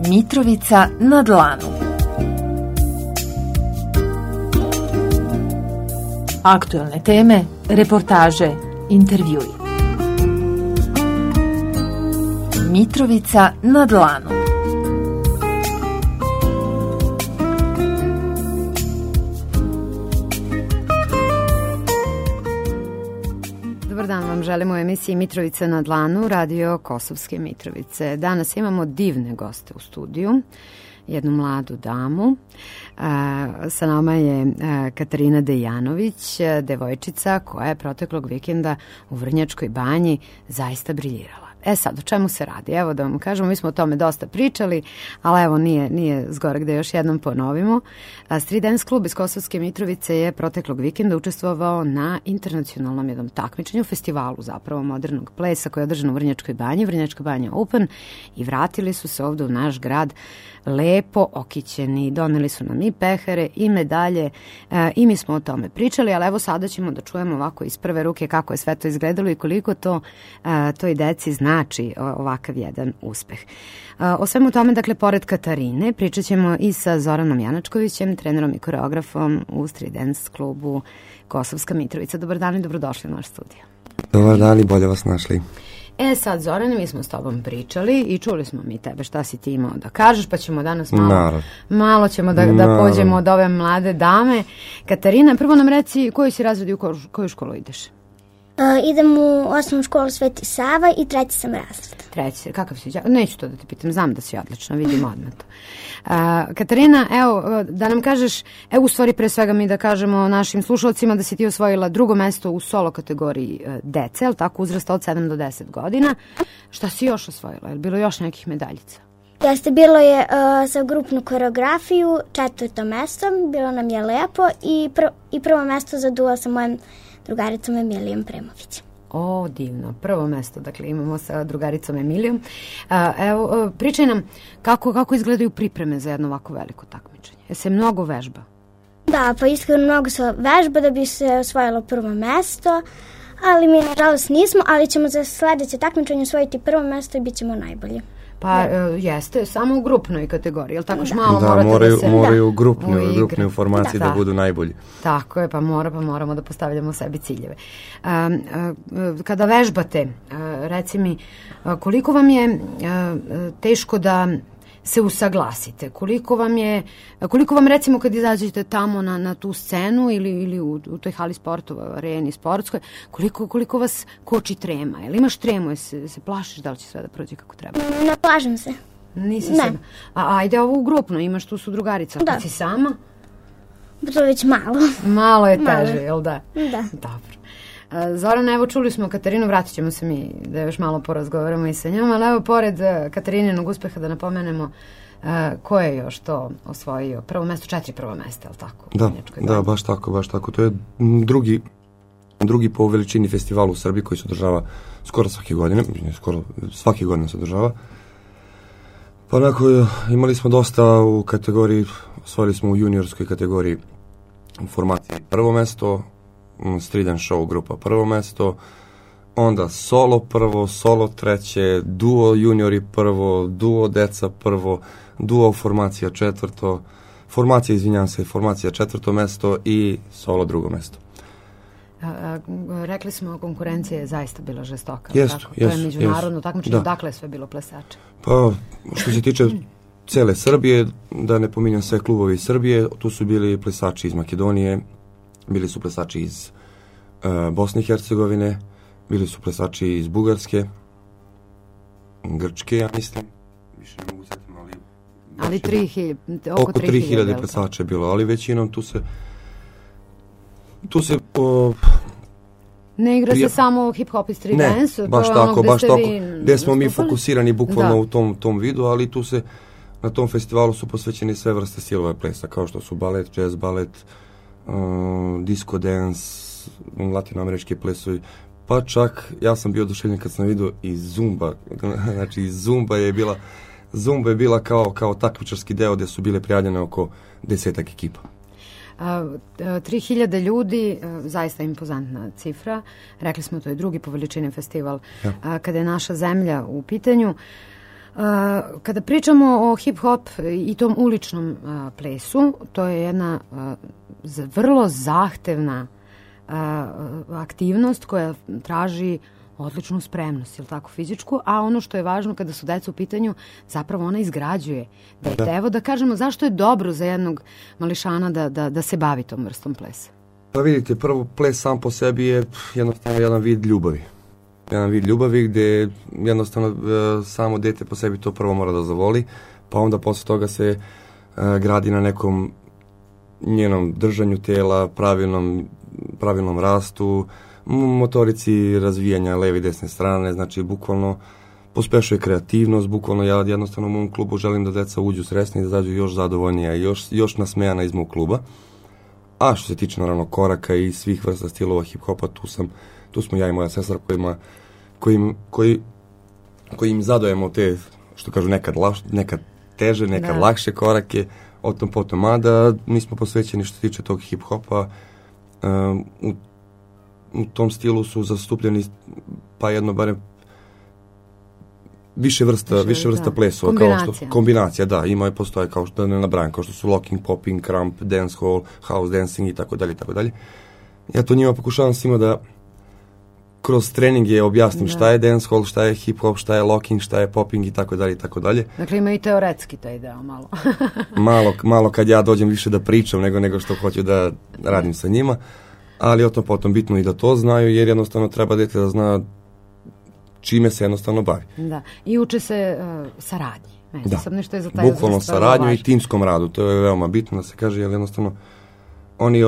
Mitrovica na dlanu. Aktuelne teme, reportaže, intervjui. Mitrovica na dlanu. Dobar dan vam želimo u emisiji Mitrovica na dlanu, radio Kosovske Mitrovice. Danas imamo divne goste u studiju, jednu mladu damu. Sa nama je Katarina Dejanović, devojčica koja je proteklog vikenda u Vrnjačkoj banji zaista briljirala. Sad, o čemu se radi? Evo da vam kažemo, mi smo o tome dosta pričali, ali evo nije zgorek da još jednom ponovimo. Street Dance klub iz Kosovske Mitrovice je proteklog vikenda učestvovao na internacionalnom jednom takmičenju, festivalu zapravo modernog plesa koji je održan u Vrnjačkoj banji, Vrnjačka banja Open, i vratili su se ovde u naš grad lepo okićeni, doneli su nam i pehare i medalje i mi smo o tome pričali, ali evo sada ćemo da čujemo ovako iz prve ruke kako je sve to izgledalo i koliko to toj deci znači ovakav jedan uspeh. O svemu tome, dakle, pored Katarine, pričat ćemo i sa Zoranom Janačkovićem, trenerom i koreografom u Street Dance klubu Kosovska Mitrovica. Dobar dan i dobrodošli u naš studio. Dobar dan i bolje vas našli. Sad, Zorane, mi smo s tobom pričali i čuli smo mi tebe šta si ti imao da kažeš, pa ćemo danas malo ćemo da pođemo od ove mlade dame. Katarina, prvo nam reci koji si razred i u koju školu ideš? Idem u osnovnu školu Sveti Sava i treći sam razred. Treći, kakav si? Neću to da te pitam, znam da si odlično, vidim odmah to. Katarina, evo, da nam kažeš, u stvari pre svega mi da kažemo našim slušalcima da si ti osvojila drugo mesto u solo kategoriji dece, ali tako, uzrasta od 7 do 10 godina. Šta si još osvojila? Je li bilo još nekih medaljica? Jeste, bilo je za grupnu koreografiju 4. mesto, bilo nam je lepo i prvo mesto za duo sa mojim drugaricom Emilijom Premović. Divno. Prvo mesto, dakle, imamo sa drugaricom Emilijom. Evo, pričaj nam kako izgledaju pripreme za jedno ovako veliko takmičenje. Se mnogo vežba? Da, pa iskreno mnogo se vežba da bi se osvojilo prvo mesto, ali mi nažalost nismo, ali ćemo za sledeće takmičenje osvojiti prvo mesto i bit ćemo najbolji. Pa jeste, samo u grupnoj kategoriji, jel tako? Malo moraju grupne formacije da budu najbolji. Tako je, pa moramo da postavljamo sebi ciljeve. Kada vežbate, reci mi, koliko vam je teško da se usaglasite? Koliko vam recimo kad izađete tamo na tu scenu ili u toj hali sportova, areni sportskoj, koliko vas koči trema? Jel imaš tremu, se plašiš da li će sve da prođe kako treba? Ne plašim se. Nisi se? Ajde ovo u grupno, imaš tu su drugarica. Da. Kad si sama? To je već malo. Malo je teže, jel da? Da. Dobro. Zorana, evo čuli smo Katarinu, vratit ćemo se mi da još malo porazgovaramo i sa njom, ali evo pored Katarinenog uspeha da napomenemo ko je još to osvojio. Prvo mesto, 4 prvo mesta, ali tako? Da, baš tako. To je drugi po veličini festival u Srbiji koji se održava skoro svake godine se održava. Pa onako, imali smo dosta u kategoriji, osvojili smo u juniorskoj kategoriji u formaciji prvo mesto, Street Dance Show grupa prvo mesto, onda solo prvo, solo treće, duo juniori prvo, duo deca prvo, duo formacija četvrto mesto i solo drugo mesto. Rekli smo, konkurencija je zaista bila žestoka. To je međunarodno takmičenje, dakle je sve bilo plesače? Pa, što se tiče cele Srbije, da ne pominjam sve klubovi iz Srbije, tu su bili plesači iz Makedonije, bili su plesači iz Bosne i Hercegovine, bili su plesači iz Bugarske, Grčke, ja mislim, više ne mogu setiti, ali oko 3000 plesača je bilo, ali većinom tu se ne igra se samo hip-hop i street dance? Ne, baš tako, gdje smo mi fokusirani bukvalno u tom vidu, ali tu se, na tom festivalu su posvećeni sve vrste stilova plesa, kao što su balet, jazz balet, disco dance, latinoamerički plesovi, pa čak ja sam bio oduševljen kad sam vidio i zumba, znači zumba je bila kao takmičarski deo gdje su bile prijavljene oko 10 ekipa. 3000 ljudi, zaista impozantna cifra. Rekli smo, to je drugi po veličini festival kada je naša zemlja u pitanju. Kada pričamo o hip-hop i tom uličnom plesu, to je jedna vrlo zahtevna aktivnost koja traži odličnu spremnost, jel tako, fizičku, a ono što je važno kada su deca u pitanju, zapravo ona izgrađuje dete. Evo da kažemo zašto je dobro za jednog mališana da se bavi tom vrstom plesa. Pa vidite, prvo ples sam po sebi je jednostavno jedan vid ljubavi. Jedan vid ljubavi gde jednostavno samo dete po sebi to prvo mora da zavoli, pa onda posle toga se gradi na nekom njenom držanju tela, pravilnom rastu, motorici razvijanja leve i desne strane, znači bukvalno pospešuje kreativnost, bukvalno ja jednostavno u mom klubu želim da deca uđu sresni, da zađu još zadovoljnija, još nasmejana iz mog kluba. A što se tiče naravno koraka i svih vrsta stilova hip-hopa, tu smo ja i moja sestra koji im zadajemo te, što kažu, nekad teže, nekad lakše korake, o tom potom, mada mi smo posvećeni što se tiče tog hip-hopa. U tom stilu su zastupljeni pa jedno barem više vrsta plesova. Kombinacija, da, postoje kao što ne nabrajam, kao što su locking, popping, crump, dancehall, house dancing i tako dalje. Ja to njima pokušavam svima da kroz treninge objasnim šta je dancehall, šta je hip-hop, šta je locking, šta je popping i tako dalje. Dakle, ima i teoretski taj deo malo. malo kad ja dođem više da pričam nego što hoću da radim sa njima, ali o tom potom bitno i da to znaju, jer jednostavno treba dete da zna čime se jednostavno bavi. Da, i uče se saradnji. Bukvalno saradnju i timskom radu, to je veoma bitno da se kaže, jer jednostavno oni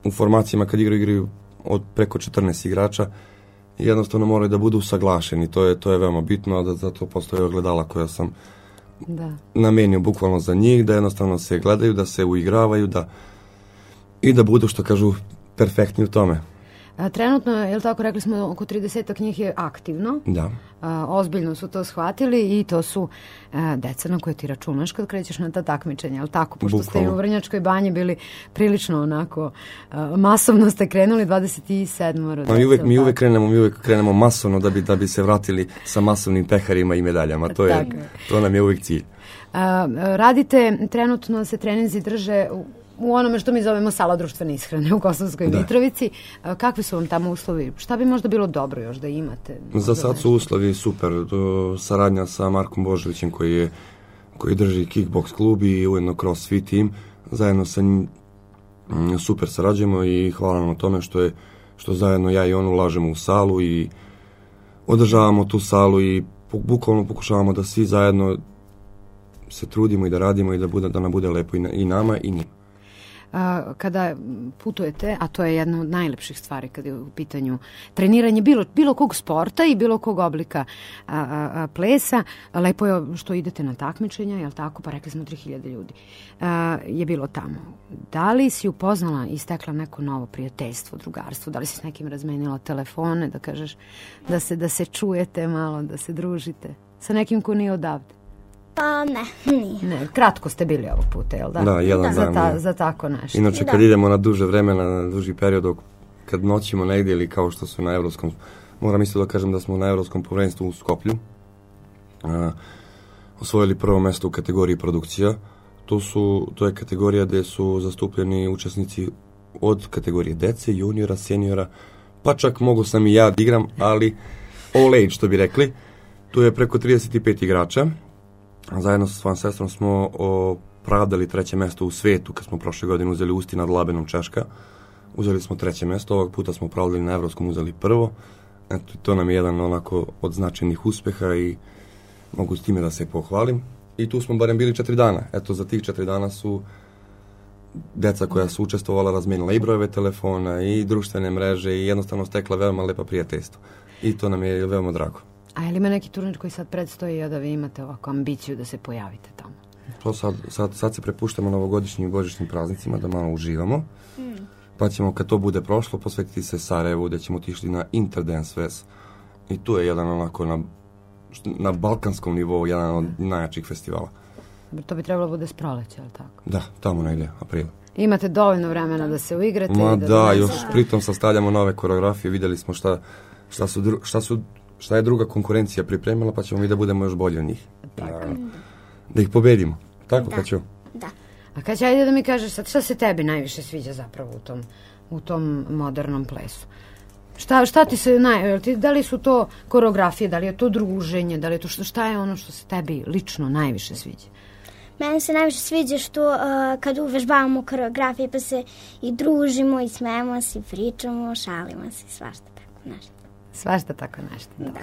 u formacijama kad igraju od preko 14 igrača, jednostavno moraju da budu usaglašeni, to je veoma bitno, da zato postoje ogledala koja sam namenio bukvalno za njih, da jednostavno se gledaju, da se uigravaju, i da budu, što kažu, perfektni u tome. Trenutno, je li tako, rekli smo, oko 30 njih je aktivno. Da. Ozbiljno su to shvatili i to su deca na koje ti računaš kad krećeš na ta takmičenja, je li tako? Pošto ste i u Vrnjačkoj banji bili prilično onako, masovno ste krenuli, 27. Mi uvek krenemo masovno da bi se vratili sa masovnim peharima i medaljama. To nam je uvek cilj. Radite, trenutno se treninzi drže u onome što mi zovemo sala društvene ishrane u Kosovskoj Mitrovici. Kakvi su vam tamo uslovi? Šta bi možda bilo dobro još da imate? Za sad su uslovi super. Saradnja sa Markom Božovićem koji drži kickbox klub i ujedno crossfit tim. Zajedno sa njim super sarađujemo i hvala nam na tome što zajedno ja i on ulažemo u salu i održavamo tu salu i bukvalno pokušavamo da svi zajedno se trudimo i da radimo i da nam bude lepo i nama i njima. Kada putujete, a to je jedna od najlepših stvari kada je u pitanju treniranje bilo kog sporta i bilo kog oblika plesa, lepo je što idete na takmičenja, jel tako, pa rekli smo 3000 ljudi je bilo tamo. Da li si upoznala i stekla neko novo prijateljstvo, drugarstvo, da li si s nekim razmenila telefone, da kažeš da se čujete malo, da se družite sa nekim ko nije odavde? Pa nije. Ne, kratko ste bili ovog puta, jel da? Da, jedan dan. Za tako nešto. Inače, kad idemo na duže vremena, na duži period, kad noćimo negdje ili kao što su na evropskom, moram isto da kažem da smo na evropskom prvenstvu u Skoplju osvojili prvo mesto u kategoriji produkcija. To je kategorija gdje su zastupljeni učesnici od kategorije dece, juniora, seniora, pa čak mogu sam i ja da igram, ali all age, što bi rekli. Tu je preko 35 igrača. Zajedno sa svojom sestrom smo opravdali 3. mesto u svetu, kad smo prošle godine uzeli Usti nad Labenom, Češka. Uzeli smo 3. mesto, ovog puta smo opravdali na evropskom, uzeli prvo. Eto, to nam je jedan onako od značajnih uspeha i mogu s time da se pohvalim. I tu smo barem bili 4 dana. Eto, za tih 4 dana su deca koja su učestvovala razmenila i brojeve telefona i društvene mreže i jednostavno stekla veoma lepa prijateljstva. I to nam je veoma drago. A je li ima neki turnir koji sad predstoji, a da vi imate ovako ambiciju da se pojavite tamo? To sad se prepuštamo novogodišnjim i božićnim praznicima da malo uživamo. Pa ćemo, kad to bude prošlo, posvetiti se Sarajevu, gdje ćemo otišli na Interdance Fest. I tu je jedan onako na balkanskom nivou, jedan od najjačih festivala. To bi trebalo bude s proleća, ali tako? Da, tamo negdje, april. Imate dovoljno vremena da se uigrate? Još pritom sastavljamo nove koreografije, vidjeli smo šta su šta je druga konkurencija pripremila, pa ćemo mi da budemo još bolji od njih. Da ih pobedimo. Tako, Kaćo? Da. A Kaća, ajde da mi kažeš sad, šta se tebi najviše sviđa zapravo u tom modernom plesu? Šta ti se da li su to koreografije, da li je to druženje, da li je to šta je ono što se tebi lično najviše sviđa? Meni se najviše sviđa što kad uvežbavamo koreografije pa se i družimo i smejemo se i pričamo, šalimo se i svašta tako nešto. Svašta tako nešto, dobro.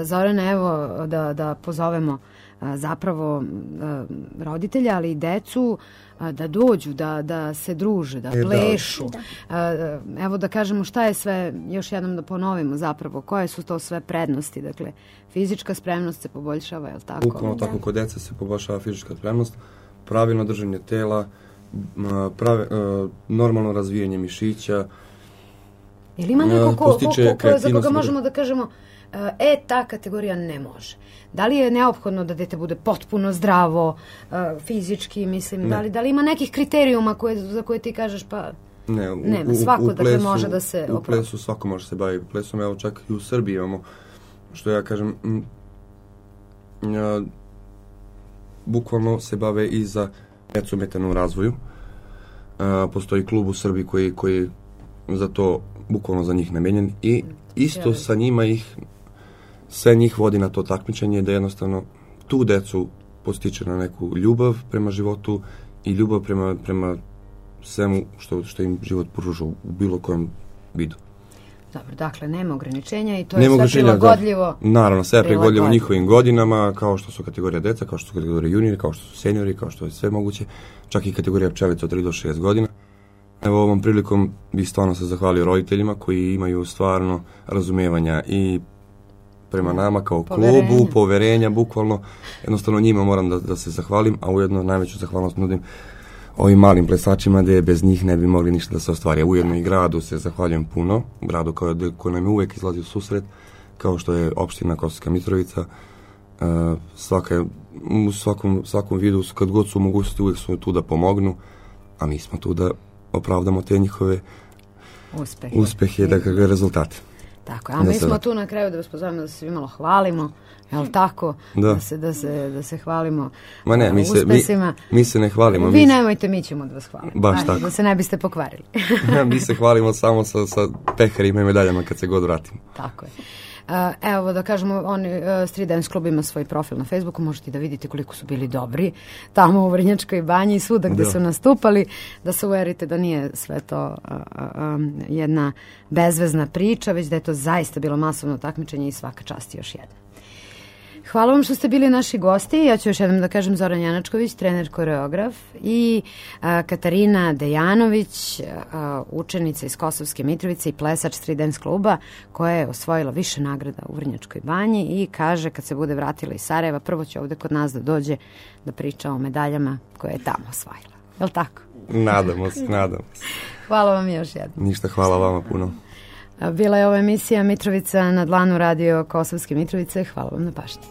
Zorana, evo da pozovemo zapravo roditelja, ali i decu da dođu, da se druže, da plešu. Evo da kažemo šta je sve, još jednom da ponovimo zapravo, koje su to sve prednosti. Dakle, fizička spremnost se poboljšava, je li tako? Bukvalno tako, kod dece se poboljšava fizička spremnost, pravilno držanje tela, normalno razvijanje mišića. Ili ima neko za koga možemo da kažemo ta kategorija ne može? Da li je neophodno da dete bude potpuno zdravo, fizički, mislim, da li ima nekih kriterijuma za koje ti kažeš pa nema, svako dakle može da se u plesu svako može se baviti plesom, evo čak i u Srbiji imamo, što ja kažem, bukvalno se bave i za decu ometenu u razvoju. Postoji klub u Srbiji koji za to, bukvalno za njih namenjen i isto sa njima sve njih vodi na to takmičenje da jednostavno tu decu postiče na neku ljubav prema životu i ljubav prema svemu što im život pruža u bilo kojem vidu. Dobro, dakle, nema ograničenja i to je sve prilagodljivo. Naravno, sve je prilagodljivo njihovim godinama, kao što su kategorija deca, kao što su kategorija juniori, kao što su seniori, kao što je sve moguće, čak i kategorija pčelica od 3 do 6 godina. Evo, ovom prilikom bih stvarno se zahvalio roditeljima koji imaju stvarno razumevanja i prema nama kao klubu, poverenja, bukvalno. Jednostavno njima moram da se zahvalim, a ujedno najveću zahvalnost nudim ovim malim plesačima, gde bez njih ne bi mogli ništa da se ostvari. Ujedno i gradu se zahvaljujem puno, gradu koji nam je uvek izlazi u susret, kao što je opština Kosovska Mitrovica. U svakom vidu, kad god su mogućnosti, uvek su tu da pomognu, a mi smo tu da opravdamo te njihove uspehe, dakle, rezultate. Tako, a mi smo tu na kraju da vas pozovemo da se svi malo hvalimo, je li tako? Da se hvalimo uspesima. Mi se ne hvalimo. Vi nemojte, mi ćemo da vas hvalimo. Baš tako. Da se ne biste pokvarili. Mi se hvalimo samo sa peharima i medaljama kad se god vratimo. Tako je. Evo da kažemo, Street Dance Club ima svoj profil na Facebooku, možete da vidite koliko su bili dobri tamo u Vrnjačkoj banji i svuda gde su nastupali, da se uverite da nije sve to jedna bezvezna priča, već da je to zaista bilo masovno takmičenje i svaka čast još jedna. Hvala vam što ste bili naši gosti. Ja ću još jednom da kažem Zoran Janačković, trener koreograf, i Katarina Dejanović, učenica iz Kosovske Mitrovice i plesač Street Dance kluba, koja je osvojila više nagrada u Vrnjačkoj banji i kaže kad se bude vratila iz Sarajeva, prvo će ovde kod nas da dođe da priča o medaljama koje je tamo osvojila. Je li tako? Nadamo se. Hvala vam još jednom. Ništa, hvala vama puno. Bila je ova emisija Mitrovica na dlanu, radio Kosovske Mitrovice. Hvala vam na pažnji.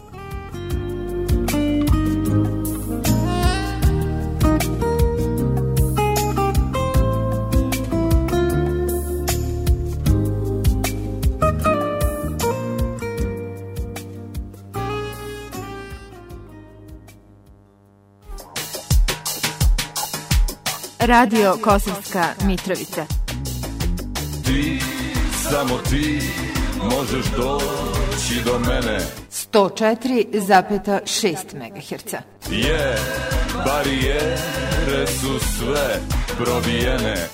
Radio Kosovska Mitrovica. Samo ti možeš doći do mene. 104,6 MHz. Barijere su sve probijene.